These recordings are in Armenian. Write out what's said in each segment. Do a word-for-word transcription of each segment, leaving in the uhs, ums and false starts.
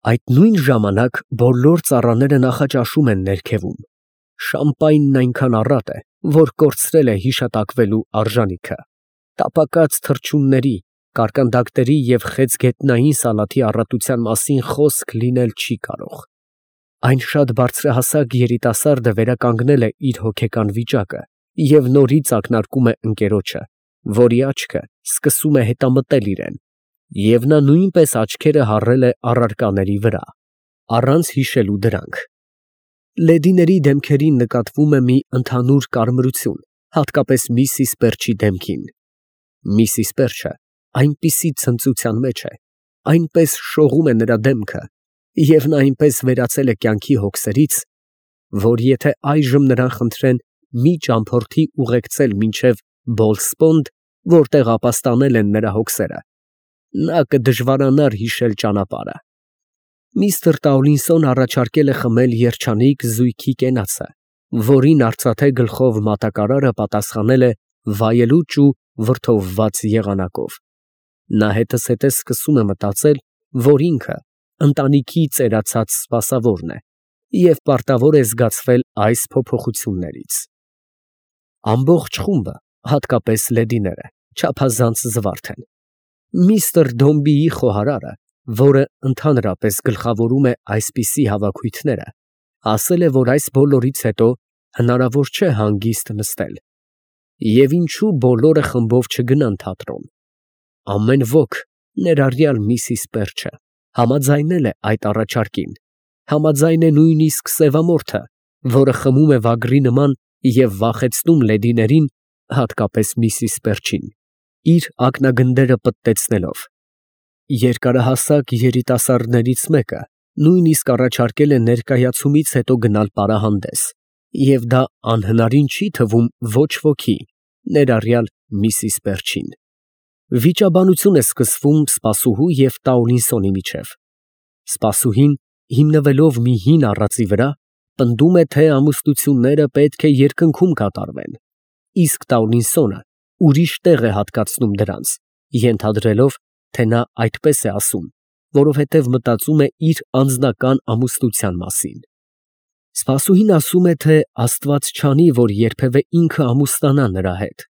Այդ նույն ժամանակ բոլոր ծառաները նախաճաշում են ներքևում. շամպայնն այնքան առատ է, որ կորցրել է հիշատակվելու արժանիքը. տապակած թռչունների, կարկանդակների և խեցգետնային սալաթի առատության մասին խոսք լինել չի կարող։ Այն շատ բարձրահասակ երիտասարդը վերականգնել է իր հոգեկան վիճակը և նորից ակնարկում է ընկերոջը, որի աչքը սկսում է հետամտել իրան, և նա նույնպես աչքերը հառել է առարկաների վրա, առանց հիշելու դրանք։ Լեդիների դեմքերին նկատվում է մի ընդհանուր կարմրություն, հատկապես միսիս Պերչի դեմքին։ Միսիս Պերչը այնպիսի ցնծության մեջ է, այնպես շողում է նրա դեմքը, և նա այնպես վերացել է կյանքի հոգսերից, որ եթե այժմ նրան խնդրեն մի ճամփորդի ուղեկցել մինչև Բոլսպոնդ, որտեղ ապաստանել են նրա հոգսերը, նա կդժվարանար հիշել ճանապարհը։ Միստր Տաուլինսոն առաջարկել է խմել երջանիկ զույգի կենացը, որին արծաթե գլխով մատակարարը պատասխանել է վայելուչ ու վրդովված եղանակով։ Նա հետզհետե սկսում է մտածել, որ ինքը ընտանիքի ծերացած սպասավորն է և պարտավոր է զգացվել այս փոփոխություններից։ Ամբողջ խումբը, հատկապես լեդիները, չափազանց զվարթ են։ Միստր Դոմբիի խոհարարը, որը ընդհանրապես գլխավորում է այսպիսի հավաքույթները, ասել է, որ այս բոլորից հետո հնարավոր չէ հանգիստ նստել, և ինչու բոլորը խմբով չգնան թատրոն։ Ամեն ոք, ներառյալ միսիս Պերչը, համաձայնել է այդ առաջարկին, համաձայն է նույնիսկ սևամորթը, որը խմում է վագրի նման և վախեցնում լեդիներին, հատկապես միսիս Պերչին, իր ակնագնդերը պտտեցնելով։ Երկարահասակ երիտասարդներից մեկը նույնիսկ առաջարկել է ներկայացումից հետո գնալ պարահանդես, և դա անհնարին չի թվում ոչ ոքի, ներառյալ միսիս Պերչին։ Վիճաբանություն է սկսվում սպասուհու և Տաուլինսոնի միջև։ Սպասուհին, հիմնվելով մի հին առածի վրա, պնդում է, թե ամուսնությունները պետք է երկնքում կատարվեն, իսկ Տաուլինսոնը ուրիշ տեղ է հատկացնում դրանց, ենթադրելով, թե նա այդպես է ասում, որովհետև մտածում է իր անձնական ամուսնության մասին։ Սպասուհին ասում է, թե Աստված չանի, որ երբևէ ինքը ամուսնանա նրա հետ։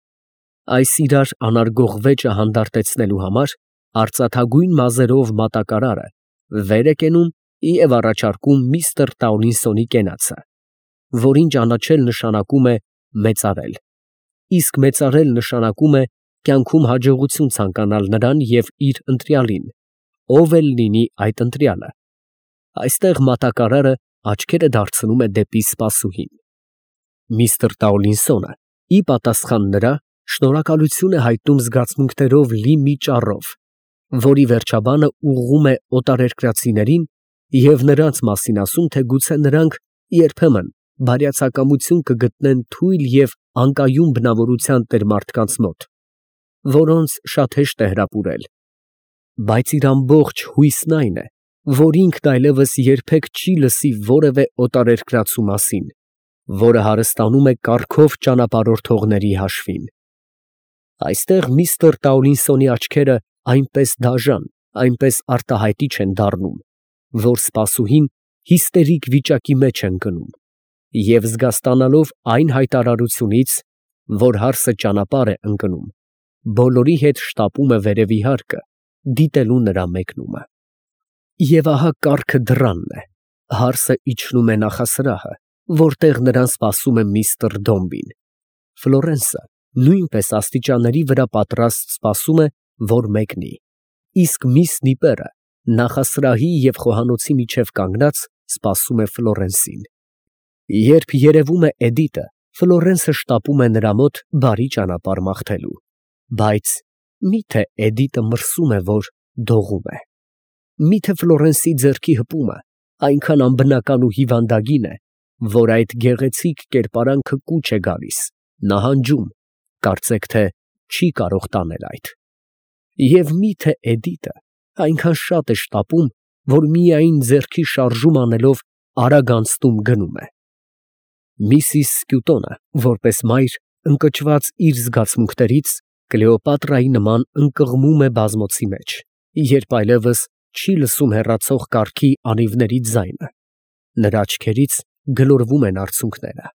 Այս իրար անարգող վեճը հանդարտեցնելու համար արծաթագույն մազերով մատակարարը վեր է կենում և առաջարկում միստր Տաուլինսոնի կենացը, որին ճանաչել նշանակում է մեծարել, իսկ մեծարել նշանակում է կյանքում հաջողություն ցանկանալ նրան և իր ընտրյալին, ով էլ լինի այդ ընտրյալը։ Այստեղ մատակարարը աչքերը դարձնում է դեպի սպասուհին։ Միստր Տաուլինսոնը, ի պատասխան նրա, շնորհակալություն է հայտնում զգացմունքներով լի մի ճառով, որի վերջաբանը ուղղում է օտարերկրացիներին և նրանց մասին ասում, թե գուցե նրանք երբեմն բարյացակամություն կգտնեն թույլ և անկայուն բնավորության տեր մարդկանց մոտ, որոնց շատ հեշտ է հրապուրել, բայց իր ամբողջ հույսն այն է, որ ինքն այլևս երբեք չի լսի որևէ օտարերկրացու մասին, որը հարստանում է կառքով ճանապարհորդողների հաշվին։ Այստեղ միստր Տաուլինսոնի աչքերը այնպես դաժան, այնպես արտահայտիչ են դառնում, որ սպասուհին հիստերիկ վիճակի մեջ է ընկնում և զգաստանալով այն հայտարարությունից, որ հարսը ճանապարհ է ընկնում, բոլորի հետ շտապում է վերևի հարկը, դիտելու նրա մեկնումը։ Եվ ահա կառքը դռանն է, հարսը իջնում է նախասրահը, որտեղ նրան սպասում է միստր Դոմբին։ Ֆլորենսը նույնպես աստիճանների վրա պատրաստ սպասում է, որ մեկնի, իսկ միս Նիպերը նախասրահի և խոհանոցի միջև կանգնած սպասում է Ֆլորենսին։ Երբ երևում է Էդիտը, Ֆլորենսը շտապում է նրա մոտ բարի ճանապարհ մաղթելու, բայց մի՞թե Էդիտը մրսում է, որ դողում է։ Մի՞թե Ֆլորենսի ձեռքի հպումը այնքան անբնական ու հիվանդագին է, որ այդ գեղեցիկ կերպարանքը կուչ է գալիս, նահանջում, կարծեք թե չի կարող տանել այդ։ Եվ մի՞թե Էդիտը այնքան շատ է շտապում, որ միայն ձեռքի շարժում անելով արագ անցնում գնում է։ Միսիս Սկյուտոնը, որպես մայր, ընկճված իր զգացմունքներից, Կլեոպատրայի նման ընկղմում է բազմոցի մեջ, երբ այլևս չի լսում հեռացող կառքի անիվների ձայնը, նրա աչքերից գլորվում են արցունքները։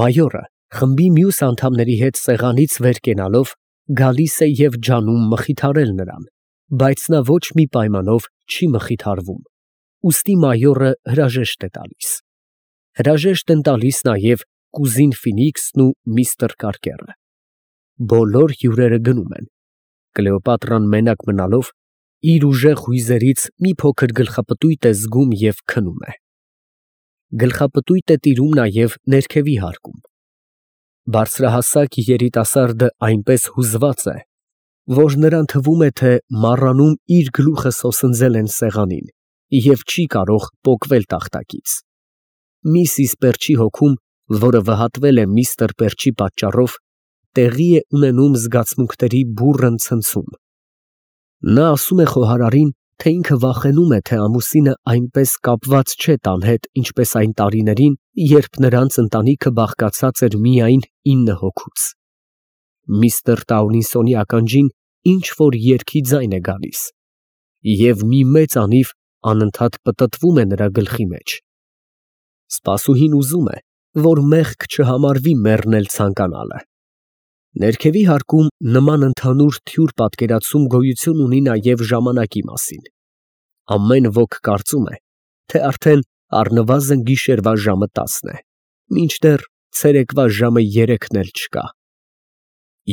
Մայորը խմբի մյուս անդամների հետ սեղանից վեր կենալով գալիս է և ջանում մխիթարել նրան, բայց նա ոչ մի պայմանով չի մխիթարվում, ուստի մայորը հրաժեշտ է տալիս։ Հրաժեշտ են տալիս նաև կուզին Ֆինիքսն ու միստր Կարկերը։ Բոլոր հյուրերը գնում են, Կլեոպատրան մենակ մնալով իր ուժեղ հույզերից մի փոքր գլխապտույտ է զգում և քնում է։ Գլխապտույտ է տիրում նաև ներքևի հարկում։ Բարձրահասակ երիտասարդը այնպես հուզված է, որ նրան թվում է, թե մառանում իր գլուխը սոսնձել են սեղանին և չի կարող պոկվել տախտակից։ Միսիս Պերչի հոգում, որը վհատվել է միստր Պերչի պատճառով, տեղի է ունենում զգացմունքների բուռն ցնցում։ Նա ասում է խոհարարին, թե ինքը վախենում է, թե ամուսինը այնպես կապված չէ տան հետ, ինչպես այն տարիներին, երբ նրանց ընտանիքը բաղկացած էր միայն ինը հոգուց։ Միստր Տաունիսոնի ականջին ինչ֊որ երգի ձայն է գալիս, և մի մեծ անիվ անընդհատ պտտվում է նրա գլխի մեջ։ Սպասուհին ուզում է, որ մեղք չհամարվի մեռնել ցանկանալը։ Ներքևի հարկում նման ընդհանուր թյուր պատկերացում գոյություն ունի նաև ժամանակի մասին։ Ամեն ոք կարծում է, թե արդեն առնվազն գիշերվա ժամը տասն է, մինչդեռ ցերեկվա ժամը երեքն էլ չկա։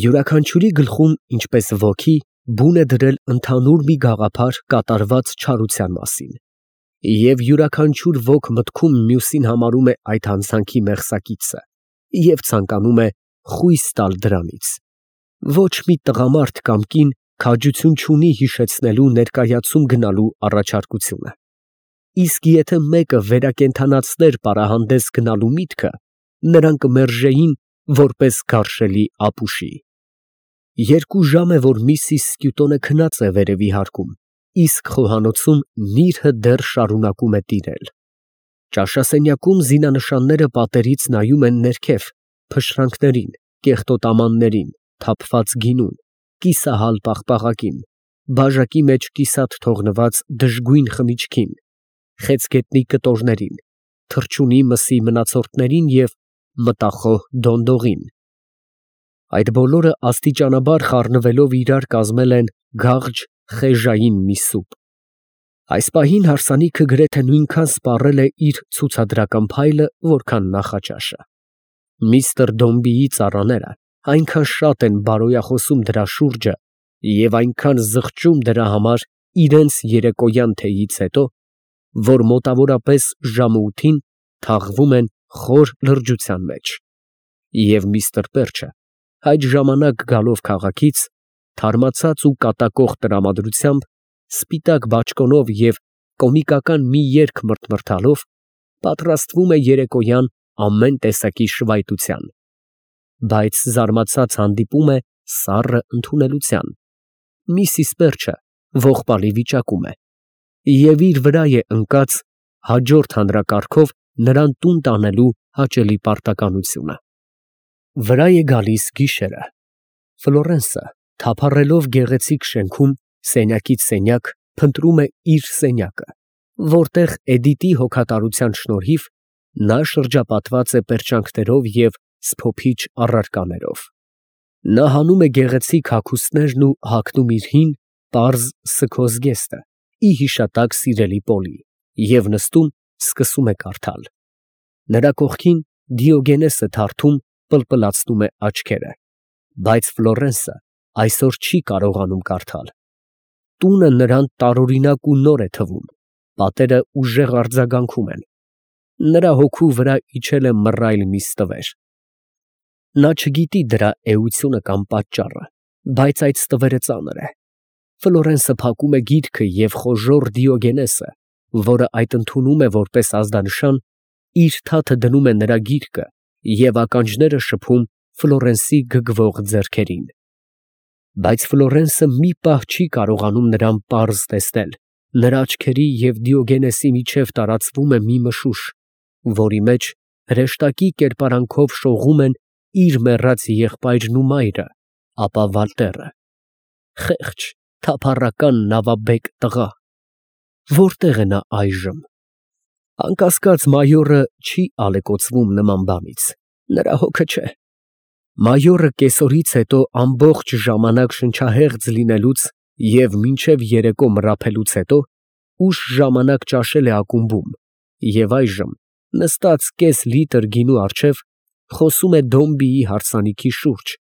Յուրաքանչյուրի գլխում, ինչպես ոգի, բուն է դրել ընդհանուր մի գաղափար կատարված չարության մասին, և յուրաքանչյուր ոք մտքում մյուսին համարում է այդ հանցանքի մեղսակիցը և ցանկանում է խույս տալ դրանից։ Ոչ մի տղամարդ կամ կին քաջություն չունի հիշեցնելու ներկայացում գնալու առաջարկությունը։ Իսկ եթե մեկը վերակենդանացներ պարահանդես գնալու միտքը, նրան կմերժեին որպես գարշելի ապուշի։ Երկու ժամ է, որ միսիս Սկյուտոնը քնած է վերևի հարկում, իսկ խոհանոցում նիրհը դեռ շարունակում է տիրել։ Ճաշասենյակում զինանշանները պատերից նայում են ներքև, փշրանքներին, կեղտոտամաններին, թափված գինուն, կիսահալ պաղպաղակին, բաժակի մեջ կիսատ թողնված դժգույն խմիչքին, խեցգետնի կտորներին, թռչունի մսի մնացորդներին և մտախոհ դոնդողին։ Այդ բոլորը աստիճանաբար խառնվելով իրար կազմել են գաղջ խեժային մի սուպ։ Այս պահին հարսանիքը գրեթե նույնքան սպառել է իր ցուցադրական փայլը, որքան նախաճաշը։ Միստր Դոմբիի ծառաները այնքան շատ են բարոյախոսում դրա շուրջը և այնքան զղջում դրա համար իրենց երեկոյան թեյից հետո, որ մոտավորապես ժամը ութին թաղվում են խոր լրջության մեջ, և միստր Պերչը այդ ժամանակ գալով քաղաքից, թարմացած ու կատակող տրամադրությամբ, սպիտակ բաճկոնով և կոմիկական մի երգ մրթմրթալով, պատրաստվում է երեկոյան ամեն տեսակի շվայտության, բայց զարմացած հանդիպում է սառը ընդունելության։ Միսիս Պերչը ողբալի վիճակում է և իր վրա է ընկած հաջորդ հանրակարգով նրան տուն տանելու հաճելի պարտականությունը։ Վրա է գալիս գիշերը։ Ֆլորենսը, թափառելով գեղեցիկ շենքում, սենյակից սենյակ, փնտրում է իր սենյակը, որտեղ Էդիտի հոգատարության շնորհիվ նա շրջապատված է պերճանքներով և սփոփիչ առարկաներով։ Նա հանում է գեղեցիկ հագուստներն ու հագնում իր հին, պարզ սգո զգեստը ի հիշատակ սիրելի Պոլի և նստում, սկսում է կարդալ։ Նրա կողքին Դիոգենեսը թարթում, պլպլացնում է աչքերը, բայց Ֆլորենսը այսօր չի կարողանում կարդալ։ Տունը նրան տարօրինակ ու նոր է թվում, պատերը ուժեղ արձագանքում են։ Նրա հոգու վրա իջել է մռայլ մի ստվեր։ Նա չգիտի դրա էությունը կամ պատճառը, բայց այդ ստվերը ծանր է։ Ֆլորենսը փակում է գիրքը և խոժոռ Դիոգենեսը, որը այդ ընդունում է որպես ազդանշան, իր թաթը դնում է նրա գիրկը և ականջները շփում Ֆլորենսի գգվող ձեռքերին։ Բայց Ֆլորենսը մի պահ չի կարողանում նրան պարզ տեսնել, նրա աչքերի և Դիոգենեսի միջև տարածվում է մի մշուշ, որի մեջ հրեշտակի կերպարանքով շողում են իր մեռած եղբայրն ու մայրը, ապա Վալտերը, խեղճ, թափառական նավաբեկ տղա, Որտեղ է նա այժմ։ Անկասկած մայորը չի ալեկոծվում նման բանից, նրա հոգը չէ։ Մայորը կեսօրից հետո ամբողջ ժամանակ շնչահեղձ լինելուց և մինչև երեկո մռափելուց հետո ուշ ժամանակ ճաշել է ակումբում և այժմ, նստած կես լիտր գինու առջև, խոսում է Դոմբիի հարսանիքի շուրջ,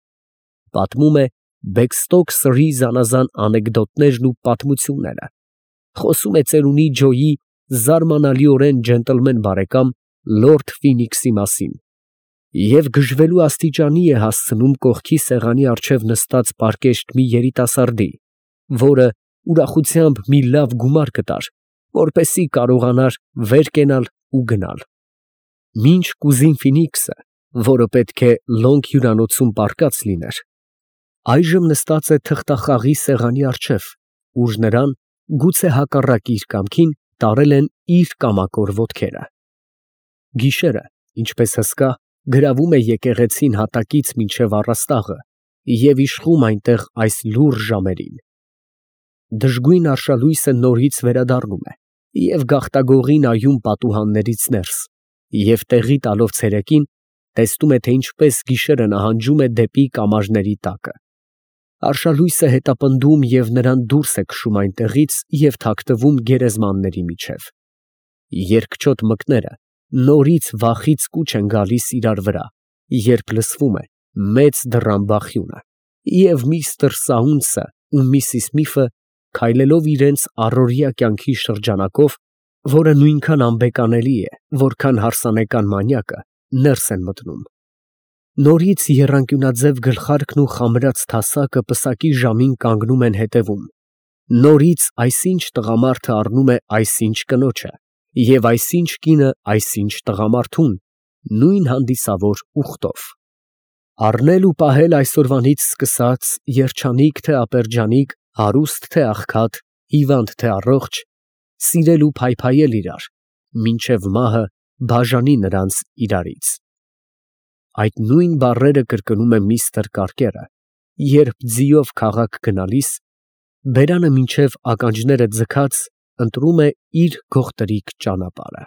պատմում է Բեքստոք սրի զանազան անեկդոտներն ու պատմությունները, խոսում է ծերունի Ջոյի զարմանալիորեն ջենտլմեն բարեկամ լորդ Ֆինիքսի մասին և գժվելու աստիճանի է հասցնում կողքի սեղանի առջև նստած պարկեշտ մի երիտասարդի, որը ուրախությամբ մի լավ գումար կտար, որպեսզի կարողանար վեր կենալ ու գնալ։ Մինչ կուզին Ֆինիքսը, որը պետք է Լոնգ հյուրանոցում պառկած լիներ, այժմ նստած է թղթախաղի սեղանի առջև, ուր նրան, գուցե հակառակ իր կամքին, տարել են իր կամակոր ոտքերը։ Գիշերը, ինչպես հսկա, գրավում է եկեղեցին հատակից մինչև առաստաղը և իշխում այնտեղ այս լուռ ժամերին։ Դժգույն արշալույսը նորից վերադառնում է և գաղտագողի նայում պատուհաններից ներս և տեղի տալով ցերեկին, տեսնում է, թե ինչպես գիշերը նահանջում է դեպի կամարների տակը։ Արշալույսը հետապնդում և նրան դուրս է քշում այնտեղից և թաքնվում գերեզմանների միջև։ Երկչոտ մկները նորից վախից կուչ են գալիս իրար վրա, երբ լսվում է մեծ դռան բախյունը, և միստր Սաունցը ու միսիս Միֆը, քայլելով իրենց առօրյա կյանքի շրջանակով, որը նույնքան անբեկանելի է, որքան հարսանեկան մանյակը, ներս են մտնում։ Նորից եռանկյունաձև գլխարկն ու խամրած թասակը պսակի ժամին կանգնում են հետևում, նորից այսինչ տղամարդը առնում է այսինչ կնոջը և այսինչ կինը այսինչ տղամարդուն, նույն հանդիսավոր ուղտով։ Առնել ու պահել այսօրվանից սկսած, երջանիկ թե ապերջանիկ, հարուստ թե աղքատ, հիվանդ թե առողջ, սիրել ու փայփայել իրար, մինչև մահը բաժանի նրանց իրարից։ Այդ նույն բառերը կրկնում է միստր Կարկերը, երբ ձիով քաղաք գնալիս, բերանը մինչև ականջները ձգած, ընտրում է իր գողտրիկ ճանապարհը։